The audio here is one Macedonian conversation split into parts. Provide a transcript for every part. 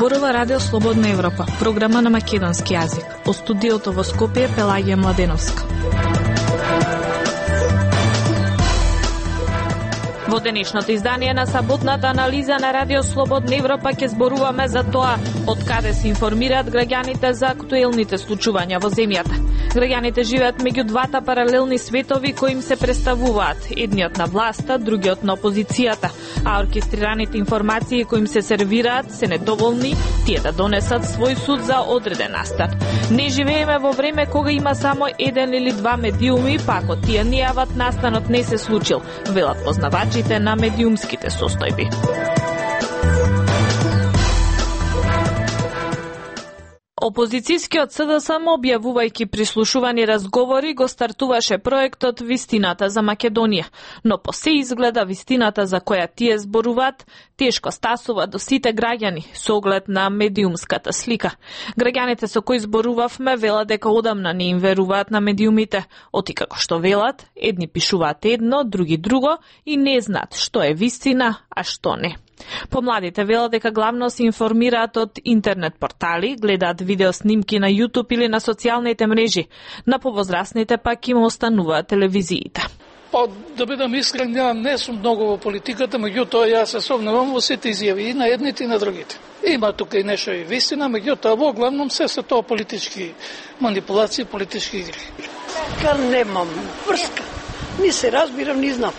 Зборува Радио Слободна Европа, програма на македонски јазик. Од студиото во Скопје Пелагија Младеновска. Во денешното издание на саботната анализа на Радио Слободна Европа ќе зборуваме за тоа од каде се информираат граѓаните за актуелните случувања во земјата. Граѓаните живеат меѓу двата паралелни светови кои им се представуваат, едниот на власта, другиот на опозицијата, а оркестрираните информации кои им се сервираат се недоволни тие да донесат свој суд за одреден настан. Не живееме во време кога има само еден или два медиуми, па ако тие не јават, настанот не се случил, велат познавачите на медиумските состојби. Опозицијскиот СДСМ, објавувајќи прислушувани разговори, го стартуваше проектот Вистината за Македонија, но по се изгледа вистината за која тие зборуваат тешко стасува до сите граѓани со оглед на медиумската слика. Граѓаните со кои зборувавме велат дека одамна не им веруваат на медиумите, оти како што велат, едни пишуваат едно, други друго и не знаат што е вистина, а што не. Помладите велат дека главно се информираат од интернет портали, гледаат видео снимки на YouTube или на социјалните мрежи. На повозрасните пак им остануваат телевизиите. Да бидам искрен, не сум многу во политиката, меѓутоа јас се совнувам во сите изјави и на едните и на другите. Има тука и нешто и вистина, меѓутоа во главном се тоа политички манипулации, политички игри. Немам врска. Ни се разбирам, ни знам.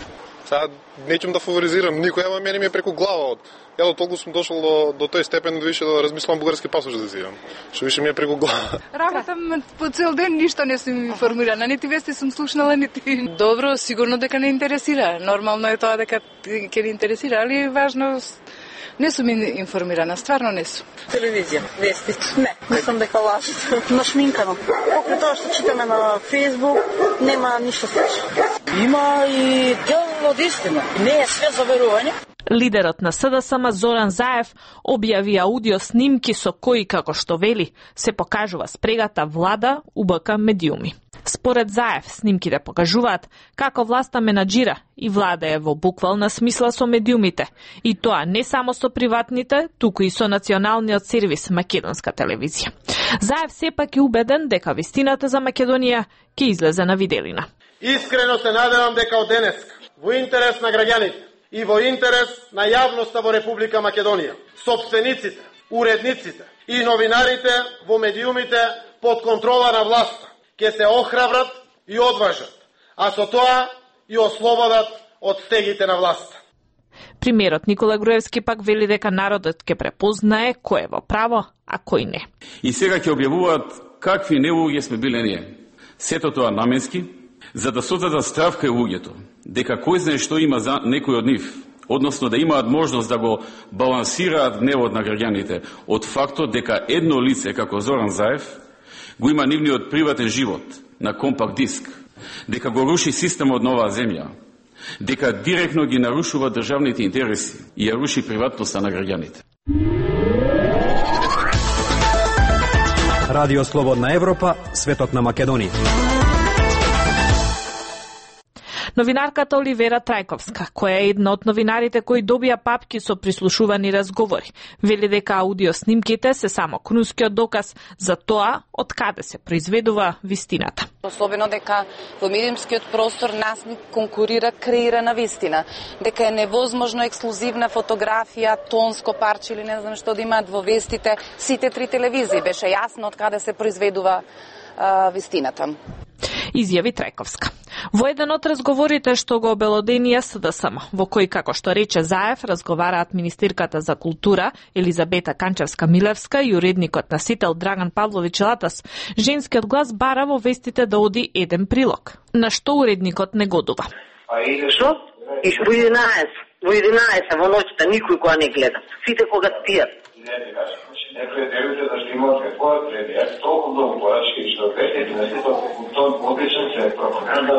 Сега неќем да фаворизирам никој, ама мене ми е преку глава. Ја толку сум дошол до тој степен да више да размислам бугарски пасош да зидам. Што више ми е преку глава. Работам по цел ден, ништо не сум информирана, нити вести сум слушнала, нити. Добро, сигурно дека не интересира. Нормално е тоа дека ќе не интересира, али важно не сум информирана, стварно не сум. Телевизија, вести. Не сум дека лажат. Нашминкано. Покрај тоа што читаме на Facebook, нема ништо слично. Има и дел од истина. Не е све за верување. Лидерот на СДСМ Зоран Заев објави аудио снимки со кои, како што вели, се покажува спрегата влада УБК медиуми. Според Заев, снимките покажуваат како власта менаџира и влада е во буквална смисла со медиумите. И тоа не само со приватните, туку и со националниот сервис Македонска телевизија. Заев сепак е убеден дека вистината за Македонија ќе излезе на виделина. Искрено се надевам дека од денеска, во интерес на граѓаните и во интерес на јавноста во Република Македонија, сопствениците, уредниците и новинарите во медиумите под контрола на власта ќе се охрабрат и одважат, а со тоа и ослободат од стегите на власта. Премиерот Никола Груевски пак вели дека народот ќе препознае кој е во право, а кој не. И сега ќе објавуваат какви неуѓи сме биле ние. Сето тоа наменски, за да создадат страв кај луѓето, дека кој знае што има за некој од нив, односно да имаат можност да го балансираат гневот на граѓаните од фактот дека едно лице како Зоран Заев го има нивниот приватен живот на компакт диск, дека го руши системот на оваа земја, дека директно ги нарушува државните интереси и ја руши приватноста на граѓаните. Радио Слободна Европа, светот на Македонија. Новинарката Оливера Трајковска, која е една од новинарите кои добија папки со прислушувани разговори, вели дека аудио снимките се само крунскиот доказ за тоа од каде се произведува вистината. Особено дека во медиумскиот простор нас ни конкурира креирана вистина, дека е невозможно ексклузивна фотографија, тонско парче или не знам што да имаат во вестите сите три телевизии. Беше јасно од каде се произведува вистината. Изјави Трајковска. Во еден од разговорите што го обелоденија СДСМ, во кој, како што рече Заев, разговараат министерката за култура Елизабета Канчевска-Милевска и уредникот носител Драган Павлович Латас, женскиот глас бара во вестите да оди еден прилог, на што уредникот негодува. Што? И во 11 во ноќта никој кога не гледа. Сите кога спијат. Не претегувате да што имате какво преди. Јас толку многу порачки што гледате, не се тоа одличен се пропаганда.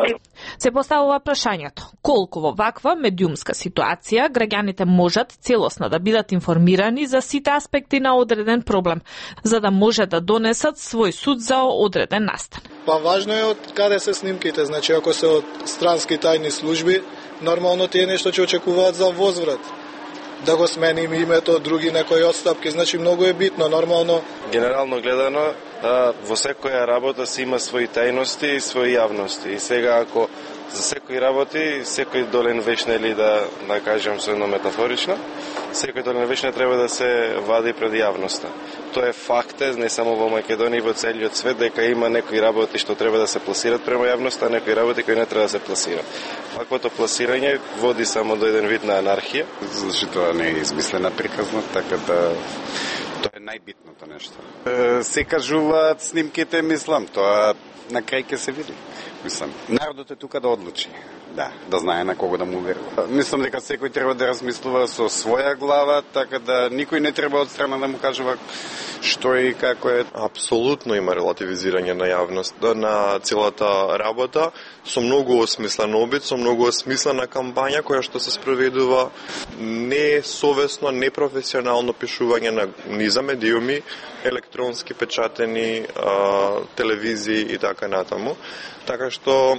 Се поставува прашањето, Колку во ваква медиумска ситуација граѓаните можат целосно да бидат информирани за сите аспекти на одреден проблем, за да може да донесат свој суд за одреден настан. Па важно е од каде се снимките, значи ако се од странски тајни служби, нормално тие нешто ќе очекуваат за возврат. Да го сменим името, други некои отстапки, значи многу е битно, нормално. Генерално гледано, во секоја работа си има своји тајности и своји јавности. И сега ако за секој работи, секој долен вечне или да кажем со едно метафорично, секој долен вечне треба да се вади пред јавноста. Тоа е факт, не само во Македонија, во целиот свет, дека има некои работи што треба да се пласират према јавноста, а некои работи кои не треба да се пласират. Ваквото пласирање води само до еден вид на анархија. Зашто тоа не е измислена приказна, така да тоа е најбитното нешто. Се кажуваат снимките, мислам, тоа на крај ќе се види. Мислам, народот е тука да одлучи. Да знае на кого да му верува. Мислам дека секој треба да размислува со своја глава, така да никој не треба од страна да му кажува што и како е. Апсолутно има релативизирање на јавност, на целата работа, со многу осмислен обид, со многу осмислена кампања која што се спроведува, несовесно, непрофесионално пишување на низа медиуми, електронски печатени, телевизии и така натаму. Така што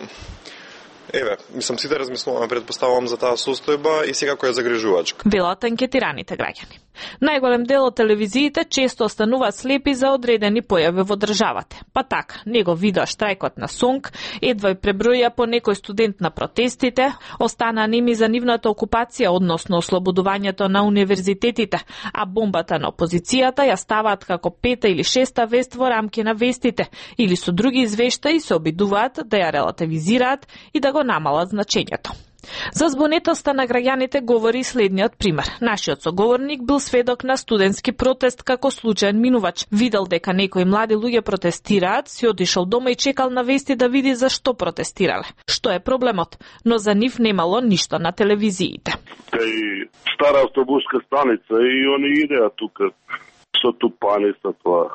мислам сите размислуваме, предпоставувам за таа состојба и секако е загрижувачка. Велат анкетираните граѓани. Најголем дел од телевизиите често остануваат слепи за одредени појави во државата. Па така, него видоа штрајкот на СОНК, едва и преброја по некој студент на протестите, остана неми за нивната окупација, односно ослободувањето на универзитетите, а бомбата на опозицијата ја ставаат како пета или шеста вест во рамки на вестите, или со други извештаи се обидуваат да ја релативизираат и да го намалат значењето. За збунетоста на граѓаните говори следниот пример. Нашиот соговорник бил сведок на студентски протест како случаен минувач. Видел дека некои млади луѓе протестираат, си отишол дома и чекал на вести да види зашто протестирале. Што е проблемот? Но за нив немало ништо на телевизиите. Кај стара автобуска станица и они идеа тука со тупани со тоа.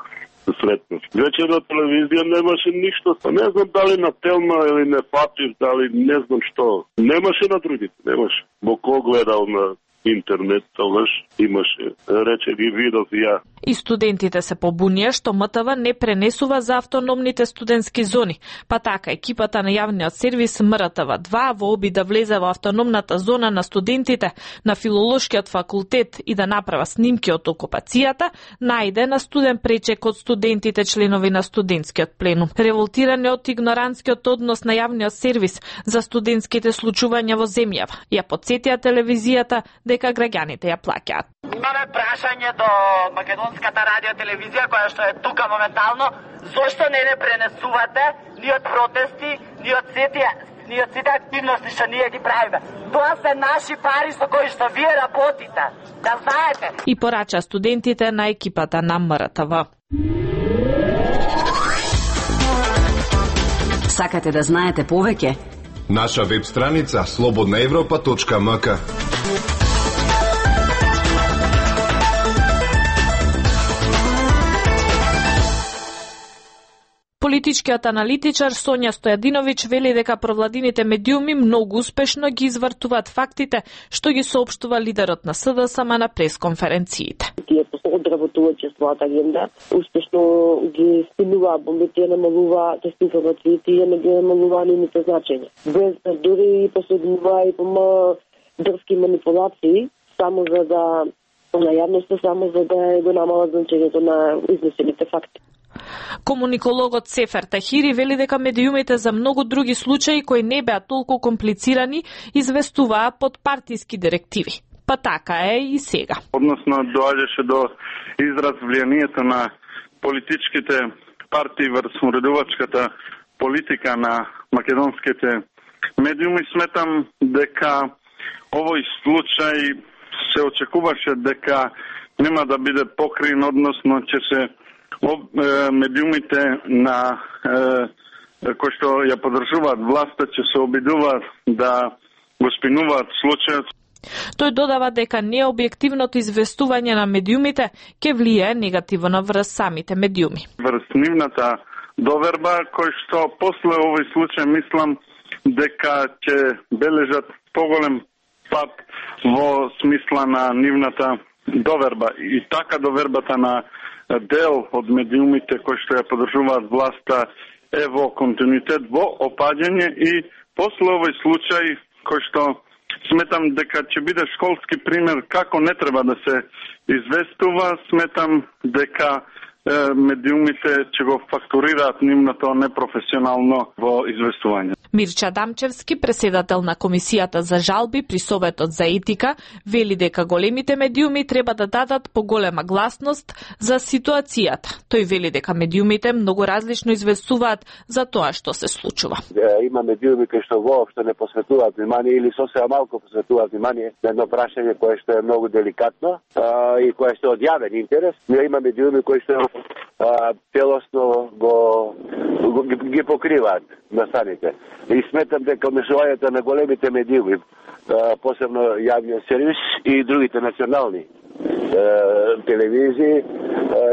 Сретнав. Вечер на телевизија немаше ништо. Не знам дали на Телма или не фатив, дали не знам што. Немаше на другите, немаше. Бо ко гледал на интернет, тогаш имаше. Рече ги видов и ја. И студентите се побунија што МТВ не пренесува за автономните студентски зони. Па така, екипата на јавниот сервис МРТВ2 во обид да влезе во автономната зона на студентите на Филолошкиот факултет и да направа снимки од окупацијата, најде на студен пречек од студентите членови на студентскиот пленум. Револтирани од игноранскиот однос на јавниот сервис за студентските случувања во земјава, ја потсетија телевизијата дека граѓаните ја плаќаат. Имаме прашање до Македонската радиотелевизија која што е тука моментално, зошто не пренесувате ни од протести, ни од сите активности што ние ги правиме. Тоа се наши пари со кои што вие работите. Да знаете. И порача студентите на екипата на МРТВ. Сакате да знаете повеќе? Наша веб страница slobodnaevropa.mk. Политичкиот аналитичар Сонја Стојадиновиќ вели дека провладините медиуми многу успешно ги извртуваат фактите што ги соопштува лидерот на СДСМ на пресконференциите. Тие одработуваат својата агенда, успешно ги спинуваат бомбите, намалуваат информациите и не ги намалуваат нивните значења. Без да дури и последнува и по дрски манипулации, само за да на јавноста, само за да го намалат значењето на изнесените факти. Комуникологот Сефер Тахири вели дека медиумите за многу други случаи кои не беа толку комплицирани известуваа под партиски директиви. Па така е и сега. Односно доаѓаше до израз влијанието на политичките партии врз уредувачката политика на македонските медиуми. Сметам дека овој случај се очекуваше дека нема да биде покрин, односно ќе се медиумите на кои што ја подржуваат власта ќе се обидуваат да го спинуваат случајот. Тој додава дека необјективното известување на медиумите ќе влијае негативно врз самите медиуми. Врз нивната доверба, кој што после овој случај, мислам, дека ќе бележат поголем пат во смисла на нивната доверба. И така довербата на дел од медиумите кои што ја подржуваат власта е во континуитет, во опаѓање и после овој случај кој што сметам дека ќе биде школски пример како не треба да се известува, сметам дека медиумите ќе го фактурираат нивното непрофесионално во известување. Мирча Дамчевски, преседател на Комисијата за жалби при Советот за етика, вели дека големите медиуми треба да дадат поголема гласност за ситуацијата. Тој вели дека медиумите многу различно известуваат за тоа што се случува. Има медиуми кои што воопшто не посветуваат внимание или сосема малку посветуваат внимание на едно прашање кое што е многу деликатно и кое што е од јавен интерес. Има медиуми кои што целосно ги покриваат настаните. И сметам дека мешувањето на големите медиуми, посебно јавниот сервис и другите национални телевизии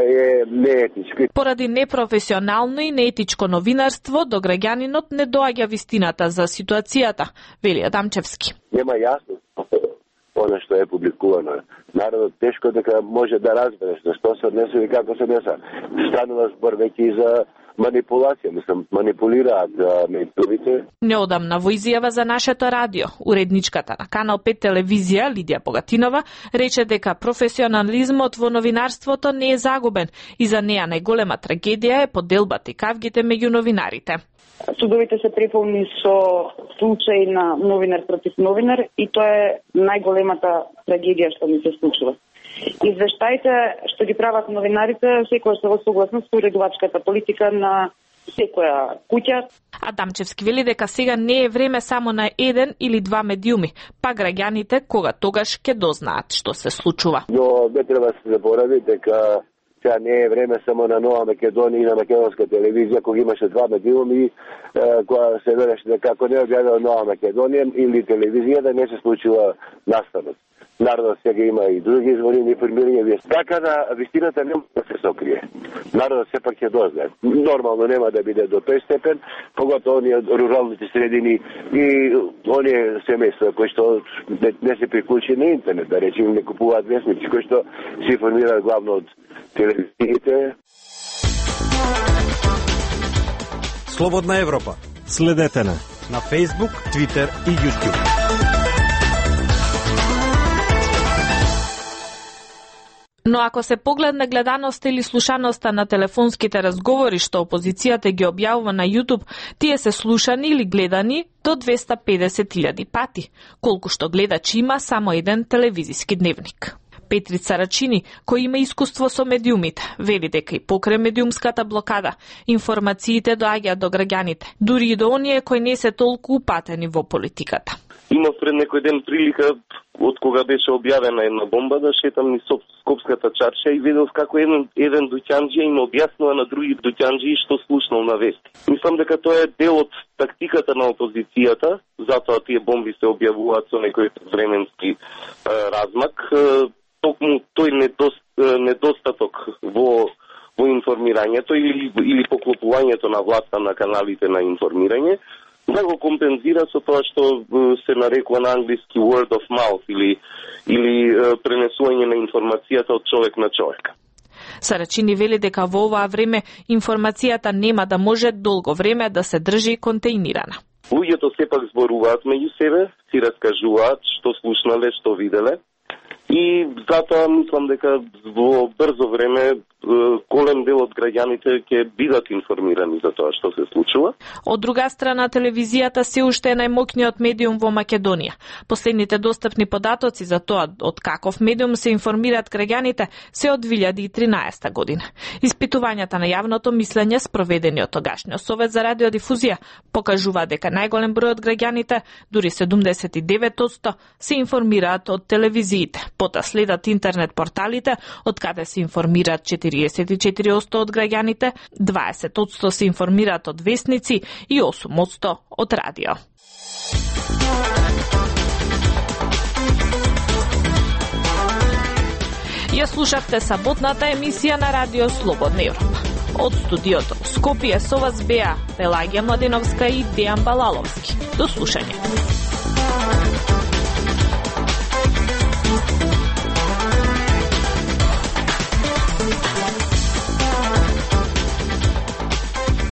е неетичко. Поради непрофесионално и неетичко новинарство, до граѓанинот не доаѓа вистината за ситуацијата, вели Адамчевски. Нема јасно она што е публикувано. Народот тешко дека може да разбере што се однесува и како се однесува. Станува збор веќе и за манипулација, манипулираат медиумите. Неодамна во изјава за нашето радио, уредничката на Канал 5 телевизија Лидија Богатинова рече дека професионализмот во новинарството не е загубен и за неа најголема трагедија е поделбата и кавгите меѓу новинарите. Судовите се преполни со случаи на новинар против новинар и тоа е најголемата трагедија што ми се случува. Извештаите што ги прават новинарите секогаш се во согласност со уредувачката политика на секоја куќа. Адамчевски вели дека сега не е време само на еден или два медиуми, па граѓаните кога тогаш ќе дознаат што се случува. Но не треба да се заборави дека сега не е време само на Нова Македонија и на македонска телевизија, кога имаше два медиуми, кога се вереше дека ако не објавила Нова Македонија или телевизија да не се случува настанот. Народот сега има и други извори на информирање. Така да вистината нема да се сокрие. Народот сепак ќе дознае. Нормално нема да биде до тој степен, поготово оние руралните средини и оние семејства кои што не се приклучи на интернет, да речеме не купуваат весници, кои што се информираат главно од телевизиите. Слободна Европа. Следете на Facebook, Twitter и YouTube. Но ако се погледне гледаноста или слушаноста на телефонските разговори што опозицијата ги објавува на YouTube, тие се слушани или гледани до 250.000 пати, колку што гледачи има само еден телевизиски дневник. Петрица Рачини, кој има искуство со медиумите, вели дека и покрај медиумската блокада, информациите доаѓаат до граѓаните, дури и до оние кои не се толку упатени во политиката. Имав пред некој ден прилика, од кога беше објавена една бомба, да шетам низ Скопската чарша и видов како еден дуќанџија им објаснува на други дуќанџии што слушнал на вести. Мислам дека тоа е дел од тактиката на опозицијата, затоа тие бомби се објавуваат со некој временски размак. Токму тој недостаток во информирањето или поклопувањето на власта на каналите на информирање да го компензира со тоа што се нарекува на англиски word of mouth или пренесување на информацијата од човек на човек. Сарачини вели дека во оваа време информацијата нема да може долго време да се држи контейнирана. Луѓето сепак зборуваат меѓу себе, си раскажуваат што слушнале, што виделе. И затоа мислам дека во брзо време голем дел од граѓаните ќе бидат информирани за тоа што се случува. Од друга страна, телевизијата се уште е најмоќниот медиум во Македонија. Последните достапни податоци за тоа од каков медиум се информираат граѓаните се од 2013 година. Испитувањата на јавното мислење спроведени од тогашниот Совет за радиодифузија покажува дека најголем број од граѓаните, дури 79%, се информираат од телевизиите. Пота следат интернет порталите, од каде се информираат 44% од граѓаните, 20% се информираат од весници и 8% од радио. Ја слушавте саботната емисија на Радио Слободна Европа. Од студиото во Скопје со вас беа Пелагија Младеновска и Дејан Балаловски. До слушање.